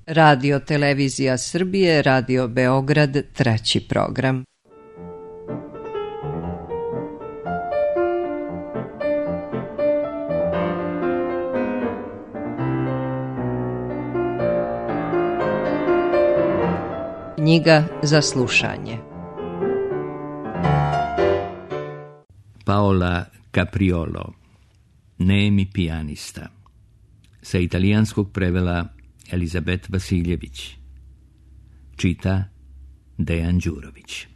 Radio Televizija Srbije, Radio Beograd, 3. program. Knjiga za slušanje. Paola Capriolo, Nemi pijanista. Sa italijanskog prevela Elizabet Vasiljević. Čita Dejan Đurović.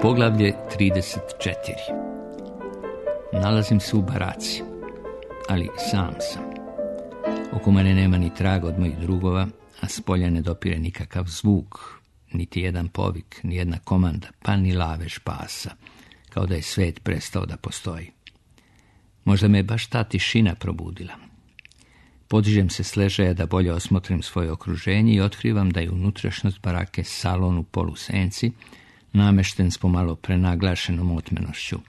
Poglavlje 34. Nalazim se u baraci, ali sam sam. Oko mene nema ni traga od mojih drugova, a s polja ne dopire nikakav zvuk, niti jedan povik, ni jedna komanda, pa ni lavež pasa, kao da je svet prestao da postoji. Možda me je baš ta tišina probudila. Podižem se s ležaja da bolje osmotrim svoje okruženje i otkrivam da je unutrašnjost barake salon u polusenci, namešten s pomalo prenaglašenom otmenošću.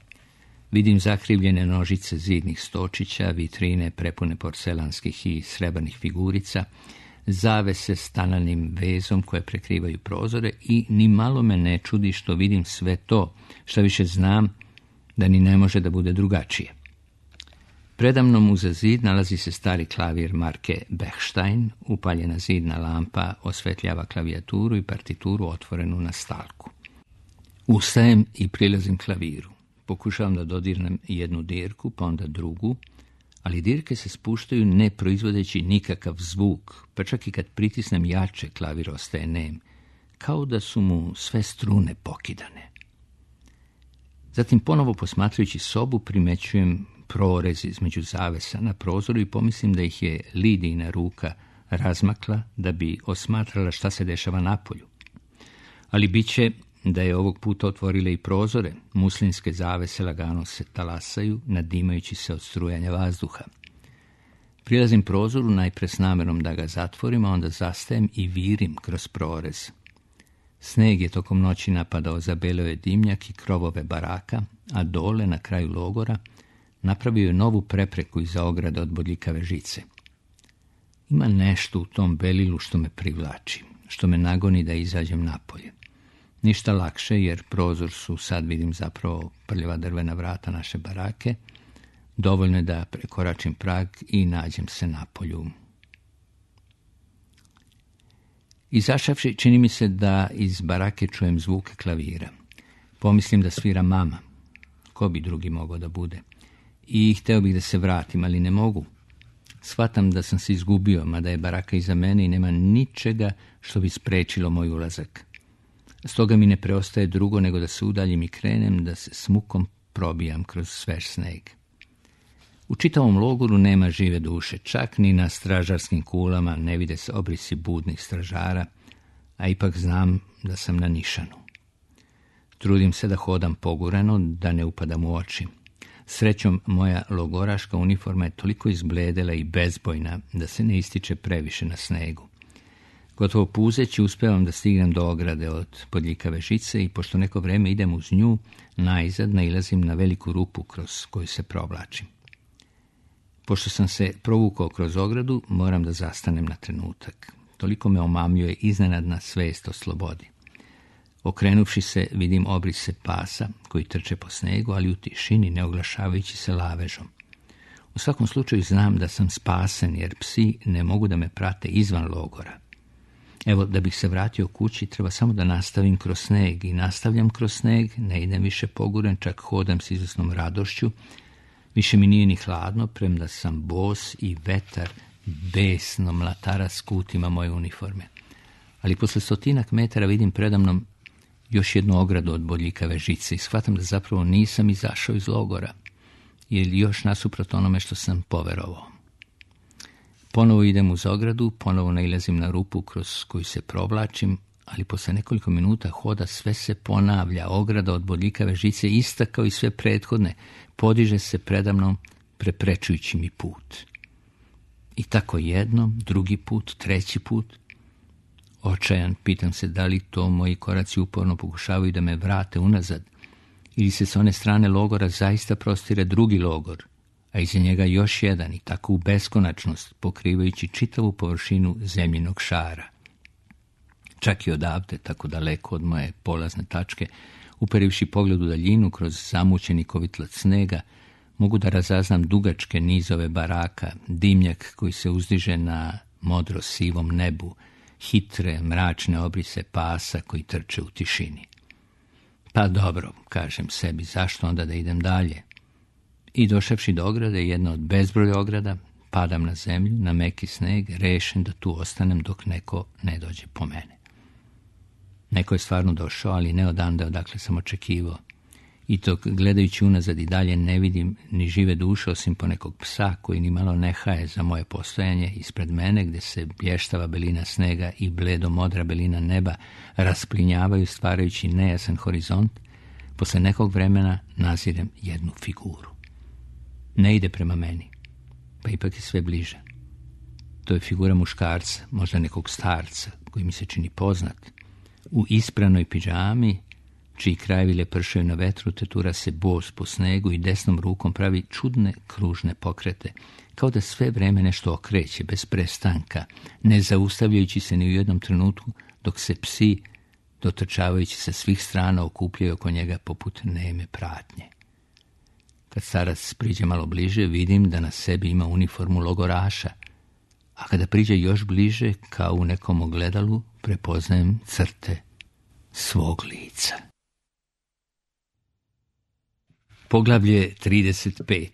Vidim zakrivljene nožice zidnih stočića, vitrine prepune porcelanskih i srebrnih figurica, zavese s tananim vezom koje prekrivaju prozore i ni malo me ne čudi što vidim sve to, što više znam da ni ne može da bude drugačije. Predamnom uza zid nalazi se stari klavir marke Bechstein, upaljena zidna lampa osvetljava klavijaturu i partituru otvorenu na stalku. Ustajem i prilazim klaviru. Pokušavam da dodirnem jednu dirku, pa onda drugu, ali dirke se spuštaju ne proizvodeći nikakav zvuk, pa čak i kad pritisnem jače, klavir ostaje nem, kao da su mu sve strune pokidane. Zatim ponovo posmatrajući sobu primećujem prorez između zavesa na prozoru i pomislim da ih je Lidijina ruka razmakla da bi osmatrala šta se dešava napolju. Ali bit će da je ovog puta otvorile i prozore, muslinske zavese lagano se talasaju, nadimajući se od strujanja vazduha. Prilazim prozoru najpre s namerom da ga zatvorim, a onda zastajem i virim kroz prorez. Sneg je tokom noći napadao, zabeleo je dimnjak i krovove baraka, a dole, na kraju logora, napravio je novu prepreku iza ograde od bodljikave žice. Ima nešto u tom belilu što me privlači, što me nagoni da izađem napolje. Ništa lakše, jer prozor su, sad vidim, zapravo prljava drvena vrata naše barake. Dovoljno je da prekoračim prag i nađem se napolju. Izašavši, čini mi se da iz barake čujem zvuke klavira. Pomislim da svira mama. Ko bi drugi mogao da bude? I hteo bih da se vratim, ali ne mogu. Shvatam da sam se izgubio, mada je baraka iza mene i nema ničega što bi sprečilo moj ulazak. Stoga mi ne preostaje drugo nego da se udaljim i krenem, da se s mukom probijam kroz svež sneg. U čitavom logoru nema žive duše, čak ni na stražarskim kulama ne vide se obrisi budnih stražara, a ipak znam da sam na nišanu. Trudim se da hodam pogurano, da ne upadam u oči. Srećom, moja logoraška uniforma je toliko izbledela i bezbojna da se ne ističe previše na snegu. Gotovo puzeći uspevam da stignem do ograde od bodljikave žice i pošto neko vreme idem uz nju, naizad nailazim na veliku rupu kroz koju se provlačim. Pošto sam se provukao kroz ogradu, moram da zastanem na trenutak. Toliko me omamljuje iznenadna svest o slobodi. Okrenuvši se, vidim obrise pasa koji trče po snegu, ali u tišini, ne oglašavajući se lavežom. U svakom slučaju znam da sam spasen, jer psi ne mogu da me prate izvan logora. Evo, da bih se vratio kući, treba samo da nastavim kroz sneg i nastavljam kroz sneg, ne idem više poguren, čak hodam s izvesnom radošću. Više mi nije ni hladno, premda sam bos i vetar besno mlatara s kutima moje uniforme. Ali posle 100 metara vidim predamnom još jednu ogradu od bodljikave žice i shvatam da zapravo nisam izašao iz logora, jer još nasuprot onome što sam poverovao. Ponovo idem uz ogradu, ponovo nailazim na rupu kroz koju se provlačim, ali posle nekoliko minuta hoda sve se ponavlja. Ograda od bodljikave žice, ista kao i sve prethodne, podiže se predamnom, preprečujući mi put. I tako jednom, drugi put, treći put. Očajan, pitam se da li to moji koraci uporno pokušavaju da me vrate unazad ili se s one strane logora zaista prostire drugi logor, a iza njega još jedan i tako u beskonačnost, pokrivajući čitavu površinu zemljinog šara. Čak i odavde, tako daleko od moje polazne tačke, uperivši pogled u daljinu kroz zamućeni kovitlac snega, mogu da razaznam dugačke nizove baraka, dimnjak koji se uzdiže na modro-sivom nebu, hitre, mračne obrise pasa koji trče u tišini. Pa dobro, kažem sebi, zašto onda da idem dalje? I došavši do ograde, jedna od bezbroja ograda, padam na zemlju, na meki sneg, rešen da tu ostanem dok neko ne dođe po mene. Neko je stvarno došao, ali ne odande odakle sam očekivao. I dok gledajući unazad i dalje ne vidim ni žive duše osim ponekog psa koji ni malo ne haje za moje postojanje ispred mene, gde se blještava belina snega i bledo modra belina neba rasplinjavaju stvarajući nejasan horizont, posle nekog vremena nazirem jednu figuru. Ne ide prema meni, pa ipak je sve bliže. To je figura muškarca, možda nekog starca, koji mi se čini poznat. U ispranoj pidžami, čiji krajevi lepršaju na vetru, tetura se bos po snegu i desnom rukom pravi čudne kružne pokrete, kao da sve vreme nešto okreće, bez prestanka, ne zaustavljajući se ni u jednom trenutku, dok se psi, dotrčavajući sa svih strana, okupljaju oko njega poput neme pratnje. Kad starac priđe malo bliže, vidim da na sebi ima uniformu logoraša, a kada priđe još bliže, kao u nekom ogledalu, prepoznajem crte svog lica. Poglavlje 35.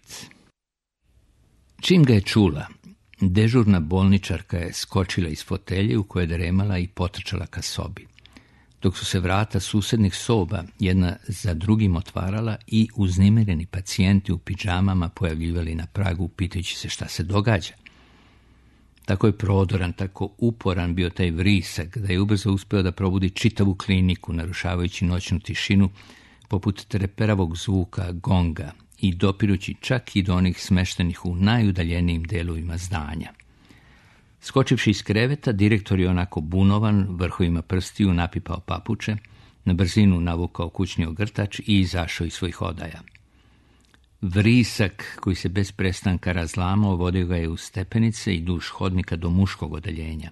Čim ga je čula, dežurna bolničarka je skočila iz fotelje u kojoj je dremala i potrčala ka sobi, dok su se vrata susednih soba jedna za drugim otvarala i uznemireni pacijenti u pidžamama pojavljivali na pragu pitajući se šta se događa. Tako je prodoran, tako uporan bio taj vrisak da je ubrzo uspeo da probudi čitavu kliniku, narušavajući noćnu tišinu poput treperavog zvuka gonga i dopirući čak i do onih smeštenih u najudaljenijim delovima zdanja. Skočivši iz kreveta, direktor je onako bunovan, vrhovima prstiju napipao papuče, na brzinu navukao kućni ogrtač i izašao iz svojih odaja. Vrisak koji se bez prestanka razlamao vodio ga je u stepenice i duž hodnika do muškog odeljenja,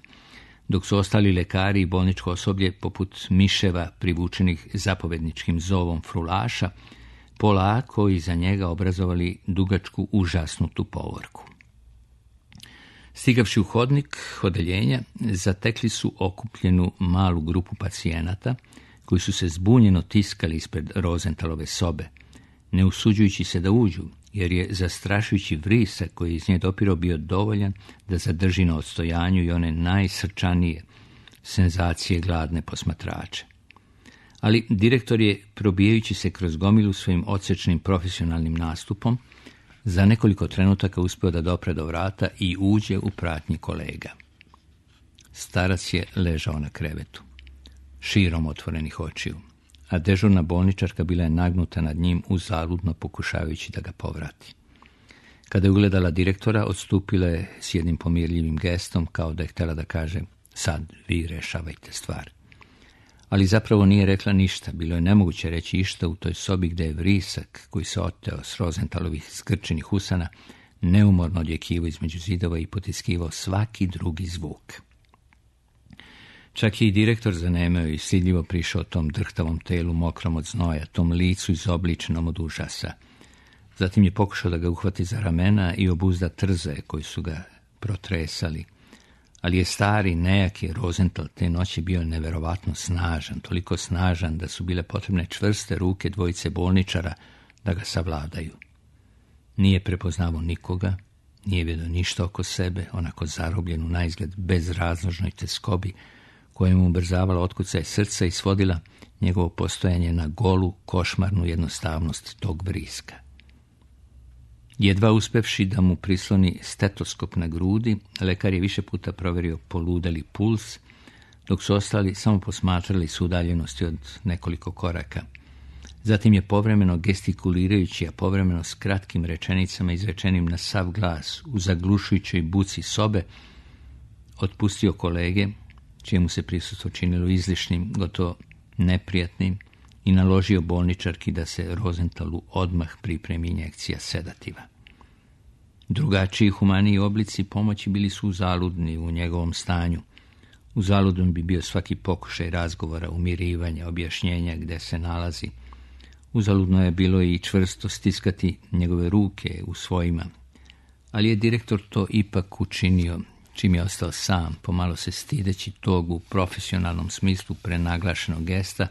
dok su ostali lekari i bolničko osoblje poput miševa privučenih zapovedničkim zovom frulaša, polako iza njega obrazovali dugačku užasnutu povorku. Stigavši u hodnik odeljenja, zatekli su okupljenu malu grupu pacijenata koji su se zbunjeno tiskali ispred Rozentalove sobe, ne usuđujući se da uđu, jer je zastrašujući vrisak koji je iz nje dopirao bio dovoljan da zadrži na odstojanju i one najsrčanije senzacije gladne posmatrače. Ali direktor je, probijajući se kroz gomilu svojim odsečnim profesionalnim nastupom, za nekoliko trenutaka uspeo da dopre do vrata i uđe u pratnji kolega. Starac je ležao na krevetu, širom otvorenih očiju, a dežurna bolničarka bila je nagnuta nad njim uzaludno pokušavajući da ga povrati. Kada je ugledala direktora, odstupila je s jednim pomirljivim gestom, kao da je htjela da kaže: sad vi rešavajte stvar. Ali zapravo nije rekla ništa, bilo je nemoguće reći išta u toj sobi gde je vrisak, koji se oteo s Rozentalovih skrčenih usana, neumorno odjekivao između zidova i potiskivao svaki drugi zvuk. Čak je i direktor zanemeo i stidljivo prišao tom drhtavom telu mokrom od znoja, tom licu izobličenom od užasa. Zatim je pokušao da ga uhvati za ramena i obuzda trze koji su ga protresali. Ali je stari, nejaki Rozental te noći bio neverovatno snažan, toliko snažan da su bile potrebne čvrste ruke dvojice bolničara da ga savladaju. Nije prepoznavao nikoga, nije vidio ništa oko sebe, onako zarobljen u naizgled bezrazložnoj teskobi, koja mu ubrzavala otkucaj srca i svodila njegovo postojanje na golu, košmarnu jednostavnost tog vriska. Jedva uspevši da mu prisloni stetoskop na grudi, lekar je više puta proverio poludeli puls, dok su ostali samo posmatrali s udaljenosti od nekoliko koraka. Zatim je povremeno gestikulirajući, a povremeno s kratkim rečenicama izrečenim na sav glas u zaglušujućoj buci sobe, otpustio kolege, čijemu se prisustvo činilo izlišnim, gotovo neprijatnim, i naložio bolničarki da se Rosenthalu odmah pripremi injekcija sedativa. Drugačiji humaniji oblici pomoći bili su uzaludni u njegovom stanju. Uzaludan bi bio svaki pokušaj razgovora, umirivanja, objašnjenja gde se nalazi. Uzaludno je bilo i čvrsto stiskati njegove ruke u svojima, ali je direktor to ipak učinio, čim je ostao sam, pomalo se stideći tog u profesionalnom smislu prenaglašenog gesta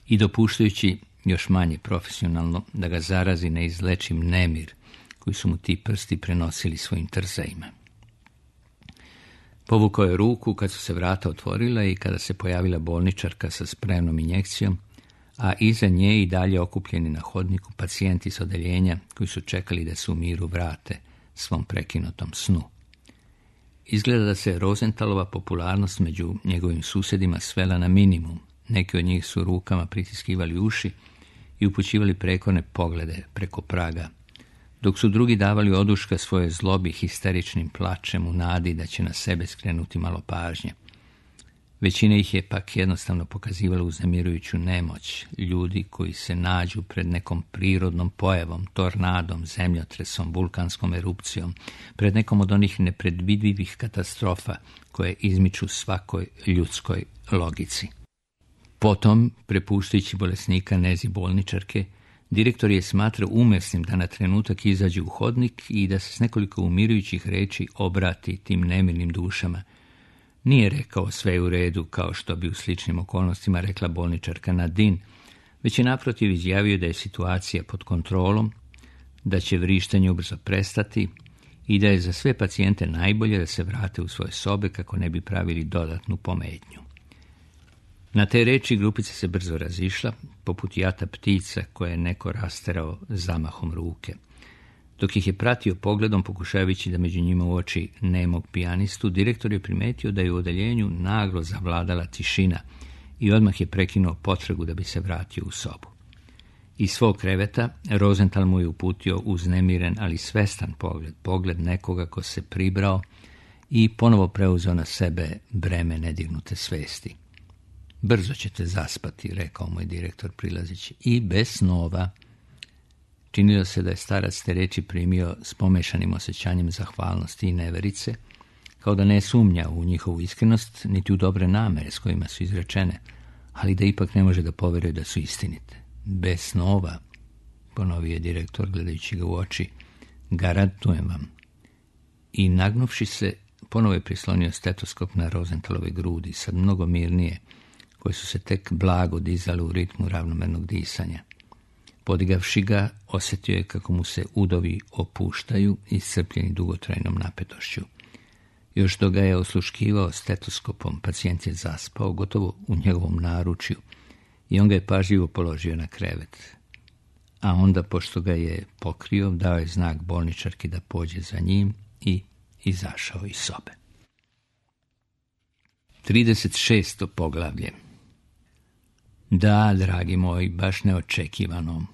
i dopuštajući još manje profesionalno da ga zarazi neizlečim nemir koji su mu ti prsti prenosili svojim trzajima. Povukao je ruku kad su se vrata otvorila i kada se pojavila bolničarka sa spremnom injekcijom, a iza nje i dalje okupljeni na hodniku pacijenti s odeljenja koji su čekali da se u miru vrate svom prekinutom snu. Izgleda da se Rosenthalova popularnost među njegovim susjedima svela na minimum. Neki od njih su rukama pritiskivali uši i upućivali prekorne poglede preko praga, dok su drugi davali oduška svoje zlobi histeričnim plačem u nadi da će na sebe skrenuti malo pažnje. Većina ih je pak jednostavno pokazivala uznemirujuću nemoć, ljudi koji se nađu pred nekom prirodnom pojavom, tornadom, zemljotresom, vulkanskom erupcijom, pred nekom od onih nepredvidivih katastrofa koje izmiču svakoj ljudskoj logici. Potom, prepuštajući bolesnika nezi bolničarke, direktor je smatrao umesnim da na trenutak izađe u hodnik i da se s nekoliko umirujućih reči obrati tim nemirnim dušama. Nije rekao sve u redu, kao što bi u sličnim okolnostima rekla bolničarka Nadine, već je naprotiv izjavio da je situacija pod kontrolom, da će vrištanje ubrzo prestati i da je za sve pacijente najbolje da se vrate u svoje sobe kako ne bi pravili dodatnu pometnju. Na te reči grupica se brzo razišla, poput jata ptica koje je neko rasterao zamahom ruke. Dok ih je pratio pogledom, pokušavajući da među njima uoči nemog pijanistu, direktor je primetio da je u odeljenju naglo zavladala tišina i odmah je prekinuo potragu da bi se vratio u sobu. Iz svog kreveta Rosenthal mu je uputio uznemiren, ali svestan pogled nekoga ko se pribrao i ponovo preuzeo na sebe breme nedignute svesti. Brzo ćete zaspati, rekao mu je direktor prilazeći, i bez snova. Činilo se da je starac te reči primio s pomešanim osjećanjem zahvalnosti i neverice, kao da ne sumnja u njihovu iskrenost, niti u dobre namere s kojima su izrečene, ali da ipak ne može da poveruje da su istinite. Bez snova, ponovio je direktor gledajući ga u oči, garantujem vam. I nagnuvši se, ponovo je prislonio stetoskop na Rosenthalove grudi, sad mnogo mirnije, koje su se tek blago dizale u ritmu ravnomernog disanja. Podigavši ga, osjetio je kako mu se udovi opuštaju, iscrpljeni dugotrajnom napetošću. Još dok ga je osluškivao stetoskopom, pacijent je zaspao, gotovo u njegovom naručju, i on ga je pažljivo položio na krevet. A onda, pošto ga je pokrio, dao je znak bolničarki da pođe za njim i izašao iz sobe. 36. poglavlje. Da, dragi moji, baš neočekivano.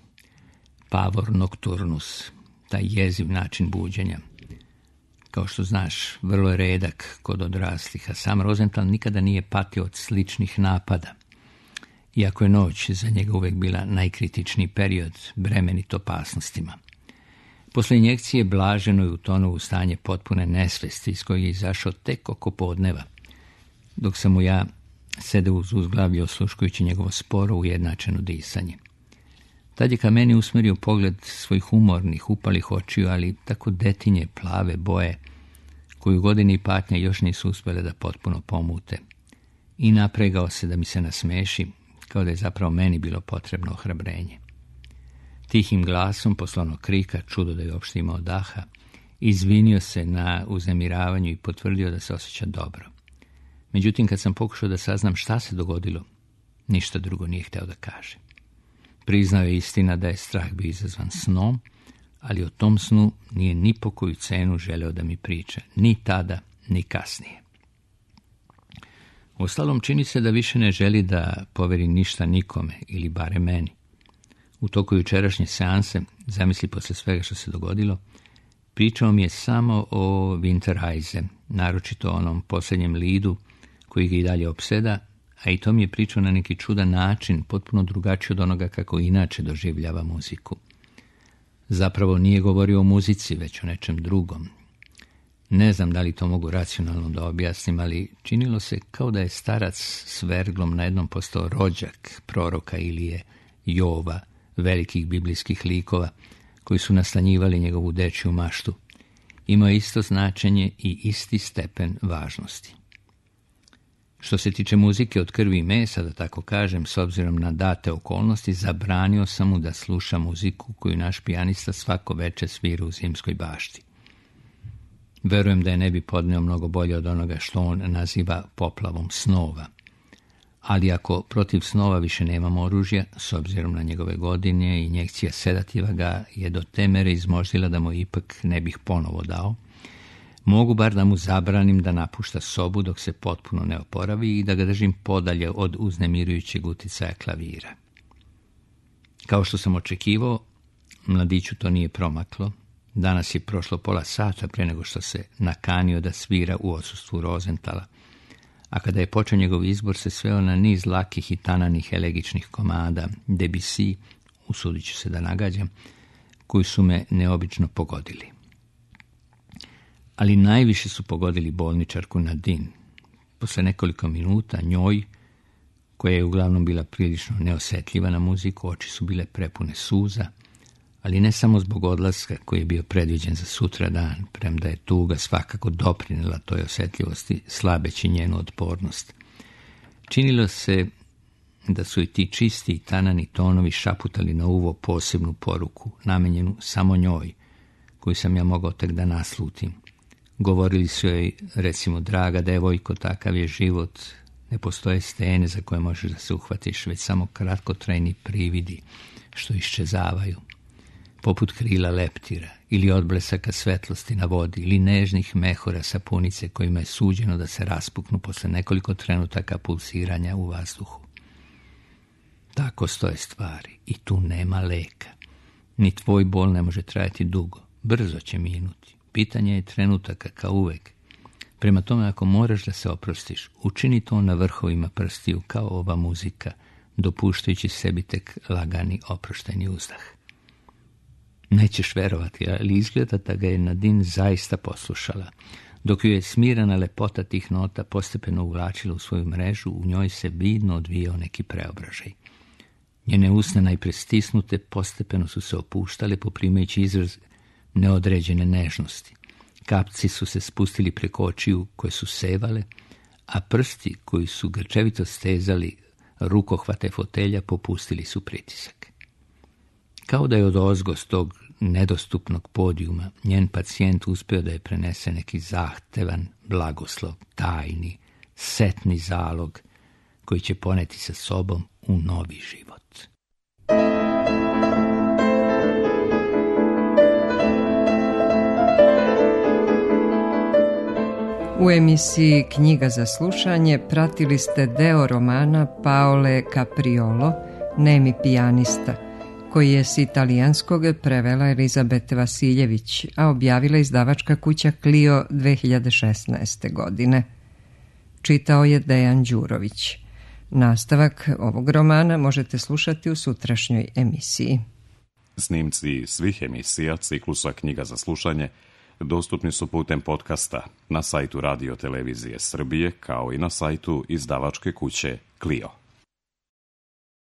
Pavor nocturnus, taj jeziv način buđenja. Kao što znaš, vrlo je redak kod odraslih, a sam Rosenthal nikada nije patio od sličnih napada. Iako je noć za njega uvek bila najkritičniji period, bremenit opasnostima. Posle injekcije blaženo je utonuo u stanje potpune nesvesti iz kojeg je izašao tek oko podneva, dok sam mu ja sedeo uz uzglavlje osluškujući njegovo sporo ujednačeno disanje. Tad je ka meni usmerio pogled svojih umornih, upalih očiju, ali tako detinje plave boje, koju godine i patnja još nisu uspjele da potpuno pomute, i napregao se da mi se nasmeši, kao da je zapravo meni bilo potrebno ohrabrenje. Tihim glasom, posle onog krika, čudo da je uopšte imao daha, izvinio se na uznemiravanju i potvrdio da se osjeća dobro. Međutim, kad sam pokušao da saznam šta se dogodilo, ništa drugo nije hteo da kaže. Priznao je istina da je strah bio izazvan snom, ali o tom snu nije ni po koju cenu želeo da mi priča, ni tada, ni kasnije. Uostalom, čini se da više ne želi da poveri ništa nikome, ili bare meni. U toku jučerašnje seanse, zamisli posle svega što se dogodilo, pričao mi je samo o Winterreise, naročito onom posljednjem lidu koji ga i dalje opseda, a i to mi je pričao na neki čudan način, potpuno drugačiji od onoga kako inače doživljava muziku. Zapravo nije govorio o muzici, već o nečem drugom. Ne znam da li to mogu racionalno da objasnim, ali činilo se kao da je starac s verglom na jednom postao rođak proroka Ilije, Jova, velikih biblijskih likova, koji su nastanjivali njegovu dečju maštu. Imao je isto značenje i isti stepen važnosti. Što se tiče muzike od krvi i mesa, da tako kažem, s obzirom na date okolnosti, zabranio sam mu da sluša muziku koju naš pijanista svako veče svira u Zimskoj bašti. Verujem da je ne bi podneo mnogo bolje od onoga što on naziva poplavom snova. Ali ako protiv snova više nemamo oružja, s obzirom na njegove godine, injekcija sedativa ga je do te mere izmoždila da mu ipak ne bih ponovo dao, mogu bar da mu zabranim da napušta sobu dok se potpuno ne oporavi i da ga držim podalje od uznemirujućeg uticaja klavira. Kao što sam očekivao, mladiću to nije promaklo. Danas je prošlo pola sata pre nego što se nakanio da svira u odsustvu Rosenthala, a kada je počeo njegov izbor se sveo na niz lakih i tananih elegičnih komada, Debussy, usudit ću se da nagađam, koji su me neobično pogodili. Ali najviše su pogodili bolničarku Nadine. Posle nekoliko minuta njoj, koja je uglavnom bila prilično neosetljiva na muziku, oči su bile prepune suza, ali ne samo zbog odlaska koji je bio predviđen za sutra dan, premda je tuga svakako doprinela toj osetljivosti, slabeći njenu otpornost. Činilo se da su i ti čisti i tanani tonovi šaputali na uvo posebnu poruku, namenjenu samo njoj, koju sam ja mogao tek da naslutim. Govorili su joj, recimo, draga devojko, takav je život, ne postoje stene za koje možeš da se uhvatiš, već samo kratkotrajni prividi što iščezavaju, poput krila leptira ili odblesaka svetlosti na vodi ili nežnih mehura sapunice kojima je suđeno da se raspuknu posle nekoliko trenutaka pulsiranja u vazduhu. Tako stoje stvari i tu nema leka. Ni tvoj bol ne može trajati dugo, brzo će minuti. Pitanje je trenutaka kao uvek. Prema tome, ako moraš da se oprostiš, učini to na vrhovima prstiju kao ova muzika, dopuštajući sebi tek lagani oproštajni uzdah. Nećeš verovati, ali izgleda da ga je Nadine zaista poslušala. Dok ju je smirana lepota tih nota postepeno uvlačila u svoju mrežu, u njoj se vidno odvijao neki preobražaj. Njene usne najpre stisnute postepeno su se opuštale, poprimajući izraz neodređene nežnosti. Kapci su se spustili preko očiju koje su sevale, a prsti koji su grčevito stezali rukohvate fotelja popustili su pritisak. Kao da je odozgo s tog nedostupnog podijuma njen pacijent uspeo da je prenese neki zahtevan blagoslov, tajni, setni zalog koji će poneti sa sobom u novi život. U emisiji Knjiga za slušanje pratili ste deo romana Paole Capriolo, Nemi pijanista, koji je s italijanskog prevela Elizabete Vasiljević, a objavila izdavačka kuća Clio 2016. godine. Čitao je Dejan Đurović. Nastavak ovog romana možete slušati u sutrašnjoj emisiji. Snimci svih emisija ciklusa Knjiga za slušanje dostupni su putem podcasta na sajtu Radio Televizije Srbije kao i na sajtu izdavačke kuće Clio.